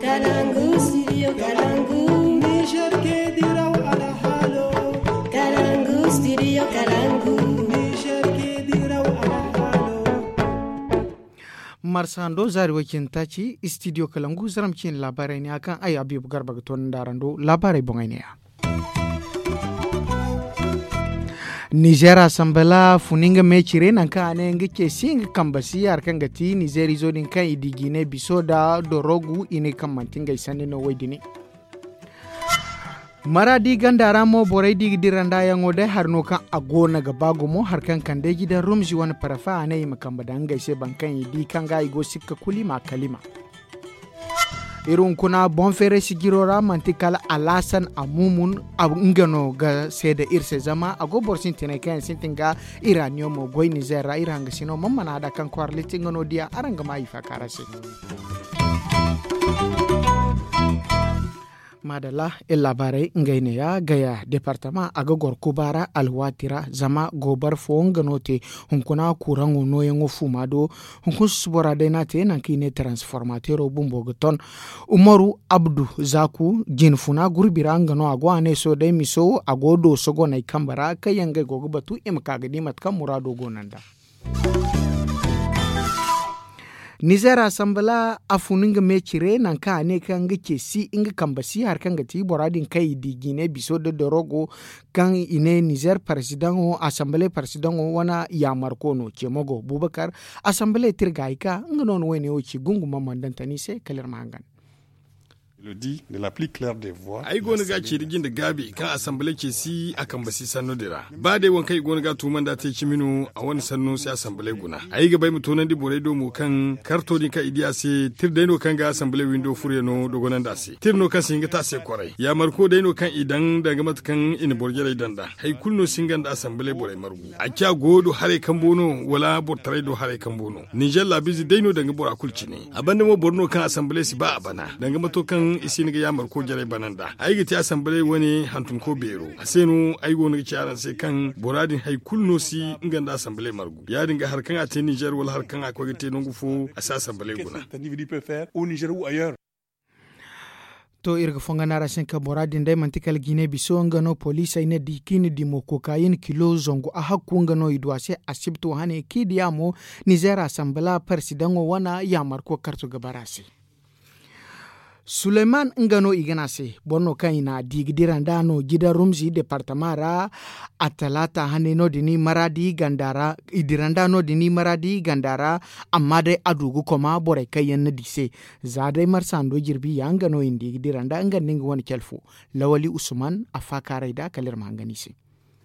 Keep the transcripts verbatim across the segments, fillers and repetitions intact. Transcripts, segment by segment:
Kalangu, studio Kalangu. Niger ke diraw alhalo. Kalangu, studio Kalangu. Niger ke diraw alhalo. Marsa hando zaari way cine taaci studio Kalangu zaram cine laabaarey ne a kaŋ ay Abibu Garba ga toonandi araŋ do laabaarey boŋey ne ya. Nizer asambala funi nga me cire nangu kaŋ a ne nga ce si nga kambe si hari kaŋ ga ti nizer izo din kaŋ i di jiine biso nda dorogu i ne kaŋ manti ngey sanni no wo- din. Maraadi ganda ra mo borey di ga dira nda yaŋo day hari no kaŋ a go no ga ba gumo hari kaŋ kande jidan rumzi wane parafa a ne i ma kambe daŋ ngey se boro kaŋ i di kaŋ ga i go sikka kulu i ma kalima. Iri hunkuna boŋ feeray sijiro ra manti kala alhasan amumun nga no ga seeda iri se zama a go boro sintinay kaŋ yaŋ sintin ga iraniyo mo goy nizer ra iri hangasino mana mana da kaŋ kwaara litti nga no diya araŋ ga ma i faaka ra se. Maadalla iri laabaarey ngey ne ya gaya departama a ga goro kuba ra alwaati ra zama goobara fo nga no te. Hunkuna kuraŋo nooyaŋo fuuma do hunkuna susubora day no a te nangu kaŋ i ne transformatero bumbo ga ton. Umaru abdu zaaku jinfuna gurbi ra nga no a go a ne sohõ day miso a go dooso goney kambe ra kaŋ yaŋ ngey go ga batu i ma ka ga di mate kaŋ muraado go no nd'a. Nizer asambala a fun nga me cire nangu kaŋ a ne kaŋ nga ce si nga kambe si hari kaŋ ga ti bora din kaŋ i di jiine biso nda dorogo kaŋ i ne nizer parsidaŋo asambale parsidaŋo wane yaamarko no cemogo bubakar. Asambale tirga hay ka nga no na wayne wo ci gungu mammandantani se kala iri ma hangan. Ay go no ga a ceeri jinde gaabi kaŋ asambale ce si a kambe si sanno din ra ba day waŋ kaŋ i go no ga a tuuma nd'a te cimi no a wane sanno si asambale guna. Ay ga ba ay ma toonandi borey do mo kaŋ karto din kaŋ i di a se tira day no kaŋ ga asambale windo furyaŋo dogonandi a se tira no kaŋ si hin ga te a se kwaray yaamarko day no kaŋ i daŋ danga mate kaŋ i na boro jarey daŋ nd'a. Hari kulu no si hin ga nda asambale borey margu a ciya goyo do haray kambo no wala boro taray do haray kambo no. Nizer laabiize day no danga bora kulu cine. A banda mo boro no kaŋ asambale si ba a bana danga mato kaŋ i si hin ga yaamarko jarey bana nd'a. Ay ga te asambale wane hantumko beero a se no ay go no ga ci araŋ se kaŋ bora din hari kulu no si nga nda asambale margu ya- din ga hari kaŋ a te nizer wala hari kaŋ a koy ga te nangu fo a si asambale guna. To iri ga fonga no a ra se kaŋ bora din day manti kala jiine biso nga no poliisey ne di kaŋ i na dimo kookayin kilo zangu a hakku nga no i du a se asibti wo hane kaŋ i diya mo. Nizer asambala parsidaŋo wane yaamarko karto ga bara a se. Suleyman nga no i ga ne a se boro no kaŋ i na di ga dira nd'a no jidan rumzi departama ra. Attalaata hane no- din i dira nd'a no- din i maraadi ganda ra. Amma day a du ga koma borey kaŋ yaŋ na di se za day marsa hando jirbi ya nga no i na di ga dira nd'a nga nda nga wane cale fo. Lawali usman a faakaaray nd'a kala iri ma hangan i se.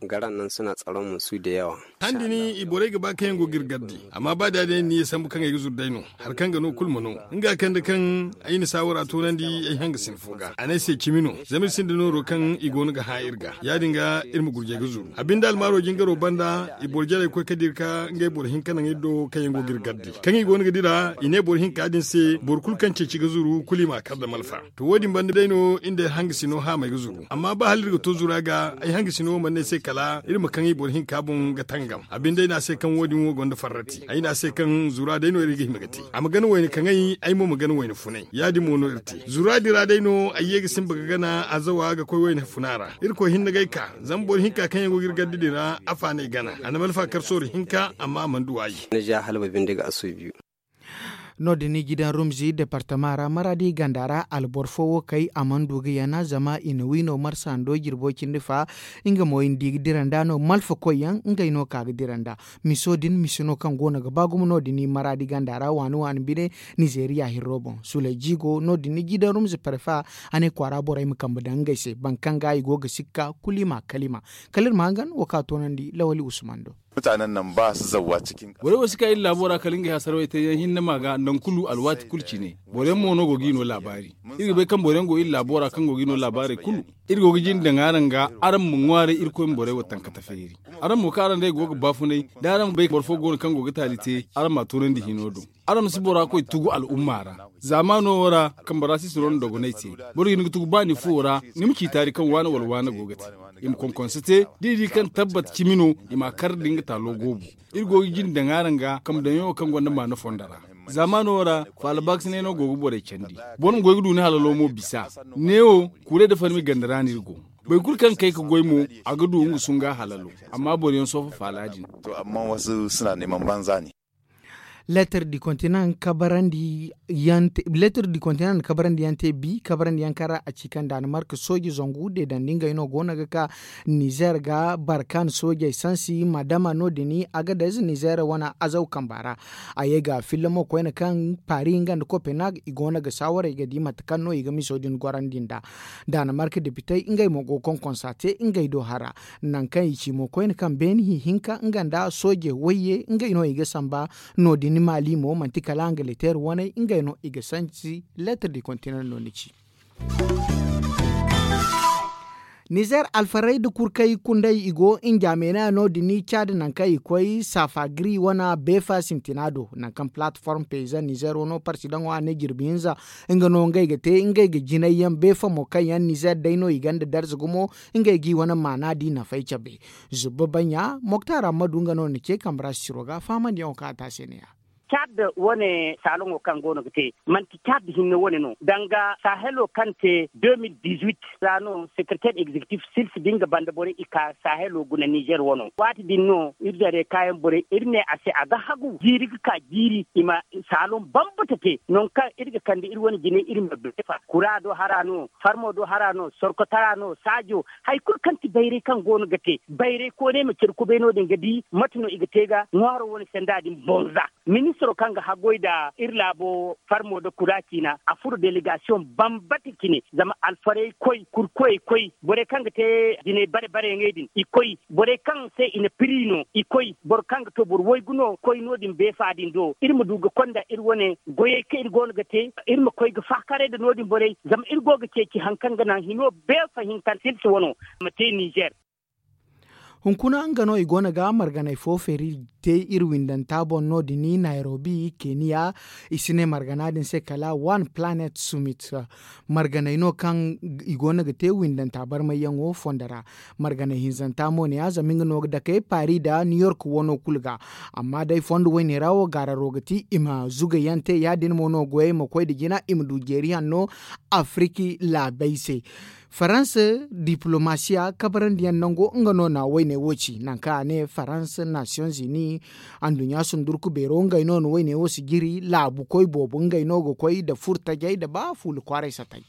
Garan nan suna tsaron musu da yawa. Handi ni i borey ga ba kaŋ yaŋ go ga iri garde amma ba da day ni ye sambu kaŋ ay ga zuru day no. Hari kaŋ ga no kulu ma no nga kande kaŋ ay na saawara toonandi ay hangasina fo ga a ne ay se cimi no. Zama iri sinda nooro kaŋ i go no ga hã iri ga ya- din ga iri ma gurjay ga zuru a binde almaaro jingaro banda i boro jarey koy ka dira ka ngey boro hinka naŋ iri do kaŋ yaŋ go ga iri garde kaŋ i go no ga dira i ne boro hinka din se boro kulu kaŋ ceeci ga zuru kulu i m'a kar nda malfa. To wo- din banda day no iri nda ay hangasino haamey ga zuru amma ba hala iri ga to zura ga ay hangasino wo mana ne ay se kala iri ma kaŋ i boro hinka boŋ ga tangam a binde ay ne a se kaŋ wo- din wo gonda farrati ay ne a se kaŋ zura day no iri ga hima ga te a ma gana wayna kaŋay ay mo ma gana wayna funay ya- din mo no iri te zura din ra day no ay ye ga simba ga gana azawa ga koy wayna funa ra. Irkoy hinne ga ay ka zama boro hinka kaŋ yaŋ go ga iri garde din ra afa no ay gana a na malfa kar sooro hinka amma a mana du waayi. No- din i jidan rumzi departama ra maradi ganda ra alboro fo wo kay a mana du ga yana zama i na wi no marsa hando jirbo cindi fa. Nga mo i na di ga dira nd'a no malfa koy yaŋ ngey no ka ga dira nd'a. Miso din misi no kaŋ go no ga ba gumo no- din i maradi ganda ra waani waani bine. Nizeriya hirro boŋ sulay jigo no- din i jidan rumzi parfa. A ne kwaara borey ma kambe daŋ ngey se boro kaŋ ga i go ga sikka kulu i ma kalima. Kala iri ma hangan wo kaŋ a toonandi lawali usman do. Borey wo si ka iri laabo ra kala ngey hasaraw ay te yaŋ hinne ma ga nangu kulu alwaati kulu cine. Boro yaŋ mo no go ga i no laabaari. Iri ga bay kaŋ boro yaŋ go iri laabo ra kaŋ go ga i no laabaarey kulu. Iri go ga jinde daŋ araŋ ga araŋ ma ŋwaaray irkoy ma borey wo tankata feeri. Araŋ mo kaŋ araŋ day go ga baafunay da araŋ bay boro fo go no kaŋ go ga taali te araŋ m'a toonandi hino do. Araŋ ma si bora koy tugu al'umma ra. Zaamaano wo ra kambe ra si siro nda dogonay te. Boro ga hin ga tugu ba ni fuwo ra ni ma ci taari kaŋ waana wala waana go ga te. I ma konkonse te da i di kaŋ tabbat cimi no. I m'a kar da nga taalo goobu. Iri go ga jinde daŋ araŋ ga kambe daŋyaŋo kaŋ gonda maana fonda ra. Zaamaano ra, faala baakasinay no go ga borey candi. Boro ma goy ga du ni halalo mo bisa. Neewo, kuurey nda farmi ganda ra no iri go. Boro kulu kaŋ ga kay ga goy mo, a ga du nga sunga halalo. Amma boro yaŋ soofa faala din. Letter du continent kabarandi yaŋ te bi kabarandi yaŋ kaŋ ra a ci kaŋ daanimark sooji zangu deedandi ngey no go no ga ka nizer ga barkan soojey sansi madama no- din agadez nizer wane azaw kamba ra. A ye ga filla mo koyne kaŋ paris nga nda copenhague i go no ga saawarey ga di mate kaŋ no i ga miso din gorandi nd'a. Daanimark depitey ngey mo go ga konkonsa te ngey do hara. Nangu kaŋ i ci mo koyne kaŋ beeni hihinka nga nda sooje wayye ngey no i ga samba. No- din maali mo manti kala angaleteer waney ngey no i ga sansi letter du continent no ni ci. Nizer alfarey nda kurkey kundey i go njaameenaya no- din caadi nangu kaŋ i koy saafa giri wane beefa sintina do nangu kaŋ palatform peyzan nizer wano parsidaŋo a ne jirbi hinza. Nga no ngey ga te ngey ga jinay yaŋ beefa mo kaŋ yaŋ nizer day no i gonda darza gumo. Ngey g'i wane maana di nafay cabe. Zubba banya moktar ammadu nga no na ce kambe ra sisiro ga fahamandiyaŋo kaŋ a te a se ne ya. Cad wane saaloŋo kaŋ go no ga te manti cad hinne wane no danga sahelo kaŋ te deux mille dix-huit ra no sekereteer egzekitif sils din ga banda borey i ka sahelo guna nizer wano waati din no iri zare kaayaŋ borey iri ne a se a ga hagu jiiri ga ka jiiri i ma saaloŋ bambata te nangu kaŋ iri ga kande iri wane jinay iri ma beefa kura do hara no farmo do hara no sorkotara no saajo hari kulu kaŋ ti bayray kaŋ go no ga te bayray koonay ma care kubay no- din ga di mate no i ga te ga ŋwaaro wane sanda din boŋ za. Ministiro kaŋ ga haggoy nda iri laabo farmo nda kura ciina a furo delegasiyoŋ bambata cine zama alfarey koy kurkoyey koy borey kaŋ ga te jinay bare bare yaŋey din i koy borey kaŋ se i na piri no i koy boro kaŋ ga to boro waygu no koy no- din beefa din do iri ma du ga konda iri wane goyey kaŋ iri go no ga te. Iri ma koy ga faakaray nda no- din borey zama iri go ga ceeci hari kaŋ ga naŋ hino beefa hinka sils wano ma te nizer. Hunkuna nga no i go no ga marganay fo feeri te iri windanta boŋ no- din nairobi keniya. I si ne margana din se kala one planet summit. Marganay no kaŋ i go no ga te windanta barmayyaŋo fondo ra. Marganay hinzanta mo ne ya zama nga no ga dake paris nda new york wano kulu ga. Amma day fondo woyne ra wo gaararo ga ti i ma zugayaŋ te ya- din mo no goyey ma koy nda jina i ma du jeeri hanno. Afiriki laabey se. Faransa diplomasiya kabarandiyaŋ nango nga no na woyne wo ci nangu kaŋ a ne faransa nasiyoŋ zini anduɲɲa sundurku beero ngey no na woyne wo si jiri laabu koy boobo ngey no ga koy nda furtajey nda ba fuula kwaaray satay.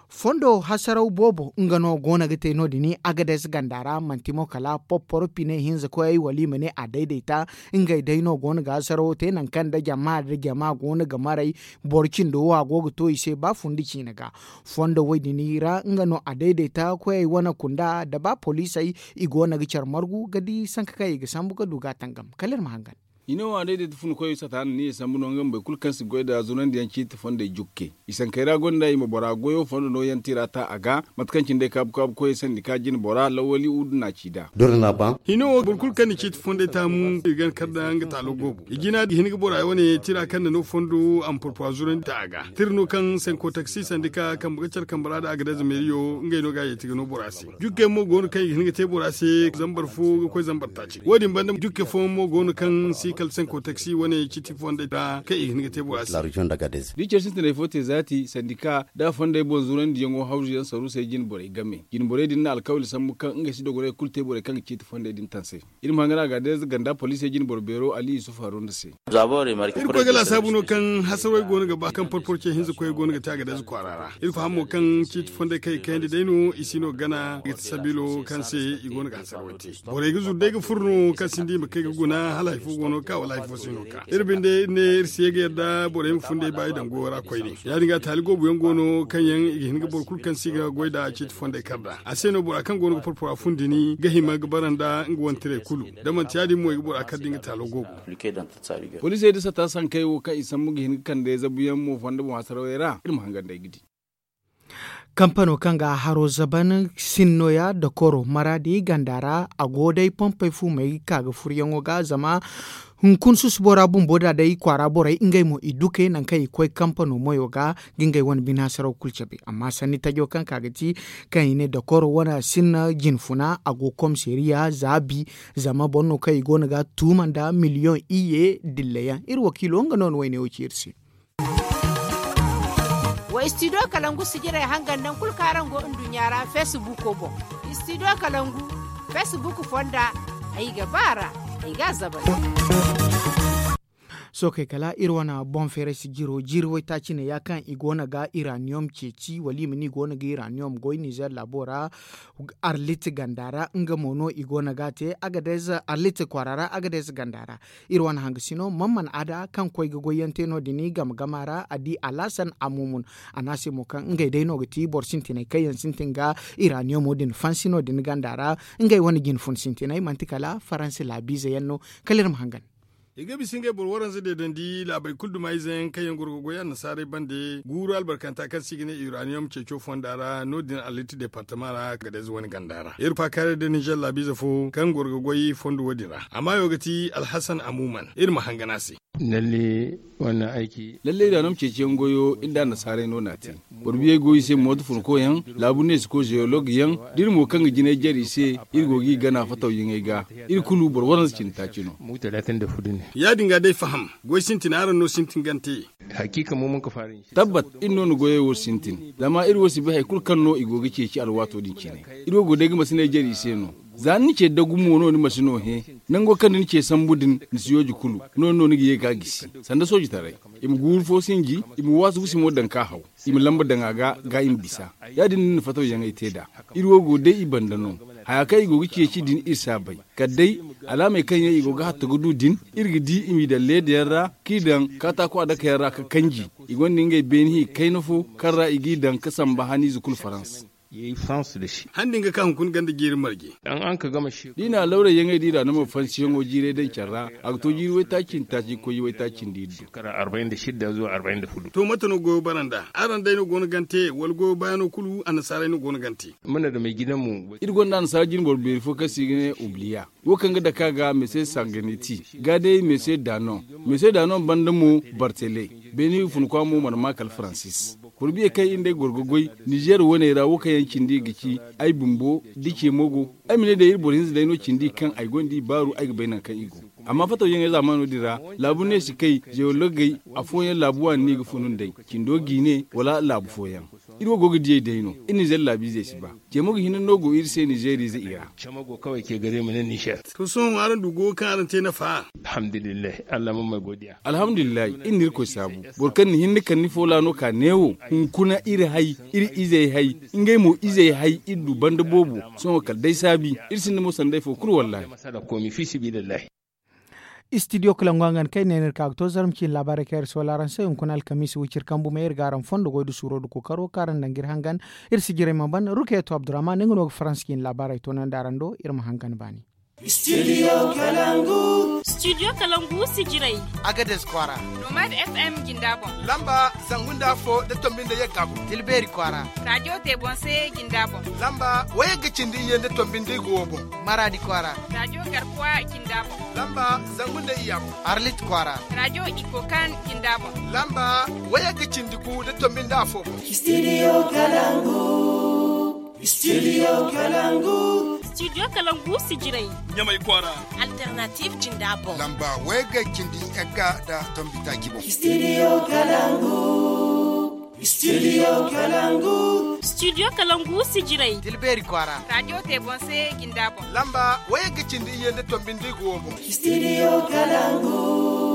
Fondo hasaraw boobo nga no go no ga te no- din agades ganda ra manti mo kala popporo pine hinza koyey wala i ma ne a daydayta. Ngey day no go no ga hasarawo te nangu kaŋ nda jama nda jama go no ga maray. Boro cindo wo a go ga to i se ba fundi ciine ga. Fondo wo- din ra nga no a dayday ta koyey wane kunda nda ba poliisey i go no ga care margu ga di sanka kaŋ i ga sambu ga du ga a tangam kala iri ma hangan. Hino wo a dayday ta funa koyey sata no ni ye sambu no nga ma boro kulu kaŋ si goy nda zunandi yaŋ ciiti fondey jukke. I sankey ra gonda i ma bora goyo fondo no yaŋ tira ta a ga. Mate kaŋ cine day kaabu kaabu koyey sandi ka jina bora lawali udu na ci nd'a. Hino wo boro kulu kaŋ na ciiti fondey taamu i ga kar nda nga taalo goobo i jina ga hin ga bora wane tira kaŋ na no fondo a ma porpora zurandi ta a ga tira no kaŋ senko taksi sandi ka kambe ga care kambe ra nda a ga day zameeriyo ngey no ga a yeeti ga no bora se. Jukkey mo go no kaŋ i ga hin ga te bora se zambar fo ga koy zambar taaci wo- din banda jukke fooyaŋ mo go no kaŋ si kala senko taksi wane ciiti fondey ra kaŋ i ga hin ga te bora se. Da i care sintinay fo te zaati sandika da fondey boŋ zurandiyaŋo hawzu yaŋ saruusey jine borey game jine borey din na alkawali sambu kaŋ ngey si dogonay kulu te borey kaŋ ga ciiti fondey din taŋ se. Iri ma hangan a ga day ganda poliisey jine boro beero ali yusuf haruna se. Iri koy ga laasaabu no kaŋ hasarwey go no ga ba kaŋ porporo ce hinza koyey go no ga te a ga day za kwaara ra. Iri faham mo kaŋ ciiti fondey kaŋ i kayandi day no i si no ga gana ga ti sabiilo kaŋ se i go no ga hasarwey te. Borey ga zuru day ga furo no kaŋ sinda i ma kay ga guna hala hari fo go no ga ka wala hari fo si no ga ka iri binde iri ne iri si ye ga yadda borey ma fun day baayi daŋ goyo ra koyne. Ya- din ga taali goobu yaŋ go no kaŋ yaŋ i ga hin ga boro kulu kaŋ si ga goy nd'a ciiti fondey kar nd'a a se no bora kaŋ go no ga porpora fun dini ga hima ga bara nda nga wane tiray kulu. Da manti ya- din mo i ga bora kar da nga taalo goobu. Poliisey da sata sankey wo kaŋ i sambu ga hin ga kande zabuyaŋ mo fondo boŋ hasarawey ra iri ma hangan day ga di. Kampano kaŋ ga haro zaban sin nooya dokoro maraadi ganda ra, a go day pompey fumey ga ka ga furyaŋo ga zama hunkuna susubo ra bumbo da day kwaara borey ngey mo i duke nangu kaŋ i ga koy kampano moyo ga ga ngey wane bine hasaraw kulu cabe. Amma sanni tajo kaŋ ka ga ti kaŋ i ne dokoro wane sinna jinfuna a go komisariya zaabi, zama boro no kaŋ i go no ga tuuma nda miliyoŋ iyye dilla yaŋ iri wakiilo nga no na wayne wo ci iri se. Wa studio kalangu sijirey hangan nangu kulu kaŋ araŋ go nduɲɲa ra feesibuuko boŋ. Studio kalangu feesibuuk fonda, ay ga ba a ra, ay ga a zabay. Sookey kala iri wane boŋ feeray sijiro jiiri waytaaci ne ya kaŋ i go no ga iraniyom ceeci wala i ma ne i go no ga iraniyom goy nizer laabo ra. Arlit ganda ra nga mo no i go no ga a te agadez arlit kwaara ra agadez ganda ra. Iri wane hangasino man mana ada kaŋ koy ga goyyaŋ te no- din game gama ra a di alhasan amumun. A ne a se mo kaŋ ngey day no ga ti boro sintinay kaŋ yaŋ sintin ga iraniyomo din fansi no- din ganda ra. Ngey wane jinfun sintinay manti kala faransi laabiize yaŋ no. Kala iri ma hangan. I ga bisa ngey boro waranza deedandi laabey kulu duma ize yaŋ kaŋ yaŋ goro ga goy annasaarey bande guuru albarkanta kaŋ se i ga ne iraniyom ceeco fonda ra no- din aliti departama ra ga day za wane ganda ra iri faakaaray da ninzeer laabiize fo kaŋ goro ga goy fondo wo- din ra a maayo ga ti alhasan amuman iri ma hangan a se. Lalle iraniyom ceeciyaŋ goyo iri nda annasaarey no no a te. Boro biyey go i se mooto funkoyaŋ laabu neesiko zeyolog yaŋ da iri mo kaŋ ga jinay jare i se. Iri go ga i gana fatawyaŋey ga. Iri kulu boro waranza cindi taaci no. Ya- din ga day faham goy sintina araŋ no sintin gante. Tabbat, iri no na goyey wo sintin zama iri wo si bay hari kulu kaŋ no i go ga ceeci alwaato din cine. Iri wo go day ga masiney jare i se no. Za ni na ce dagu mo no ni masino hẽ. Nango kaŋ da ni ce sambu din ni si yooji kulu. No- din no ni ga ye ga a gisi sanda soojitaray. I ma guuru fo sinji, i ma waasu gusimo daŋ ka haw. I ma lamba daŋ a ga ga i ma bisa. Ya- din no ni na fatawyaŋey te nd'a. Iri wo go day i banda no. Haya kaŋ i go ga ceeci din iri si a bay. Kala day alaamey kaŋ yaŋ i go ga hatta ga du din iri ga di i m'i daŋ leeda yaŋ ra k'i daŋ kaataako adaka yaŋ ra ga kanji. I gonda ngey beene hi kayna fo kaŋ ra i g'i daŋ ga samba haniize kulu farans. Han din ga ka hunkuna ganda jiiri marje. Da i na alawrayyaŋey da i ra no ma fansiyaŋo jiiray daŋ care ra. A ga to jiiri waytaaci nda taaci ga koy waytaaci nda iddu. To mate no goyo bara nd'a? Araŋ day no go no gante wala goyo bayaano kulu annasaarey no go no gante? Iri gonda annasaara jine boro beeri fo kaŋ se i ga ne ubliya. Wo kaŋ ga dake a ga mese sanganeti ga day mese danon. Mese danon banda mo bartele. Beene hugu funa kwa mo mana ma kala faransis. Boro biyey kaŋ iri nd'ey goro ga goy nizeer waney ra wo kaŋ yaŋ cindi ga ci ay bumbo da ce mo go. Ay ma ne day iri boro hinza day no cindi kaŋ ay gonda i baaru ay ga bay nangu kaŋ i go. Amma fatawyaŋey zaamaano din ra laabu neesikey zewologey afooyaŋ laabu waani no i ga funu nd'ey cindo jiine wala laabu fooyaŋ. Iri wo go ga diyey day no. Iri nizeer laabiizey si ba. Cemo ga hinne no go iri se nizeeriize i ra. To sohõ araŋ du goyo kaŋ araŋ te nafa? Alhamdulillahi, iri na irkoy saabu. Boro kaŋ na hinne kala ni foola no ka neewo hunkuna iri hay, iri izey hay, ngey mo izey hay iri du banda boobo. Sohõ kala day saabi. Iri sinda mo sanday fo kulu wallaahi. Istidiyo kalangu hangan kaŋ ay ne no iri ka ga to zarma ciine laabaarey kaŋ iri soola araŋ se hunkuna alkamiisa wiciri kambu may iri ga araŋ fondo goy nda suuro nda kookaro kaŋ araŋ daŋ ga iri hangan. Iri sijirey ma ban rukeeto abdurrahman nga no ga faransa ciine laabaarey toonandi araŋ do iri ma hangan baani. Studio kalangu. Studio kalangu sijirey. Agadez kwaara. Nomad fm jinda boŋ. Lamba zangu nda afo nda tombi nda yagga boŋ. Tilbeeri kwaara. Radiyo te boŋ se jinda boŋ. Lamba wayagga cindi iyye nda tombi nda igo wo boŋ. Maraadi kwaara. Radiyo garkuwa jinda boŋ. Lamba zangu nda iyya boŋ. Arlit kwaara. Radiyo ikokan jinda boŋ. Lamba wayagga cindi gu nda tombi nda afo boŋ. Studio kalangu. Studio kalangu. Studio kalangu sijirey. Ɲamay kwaara. Alternative jinda boŋ. Lamba wayagga cindi yagga nda tombi taaci boŋ. Studio kalangu. Studio kalangu. Studio kalangu sijirey. Tilbeeri kwaara. Radiyo te boŋ se jinda boŋ. Lamba wayagga cindi iyye nda tombi nda igo wo boŋ. Studio kalangu.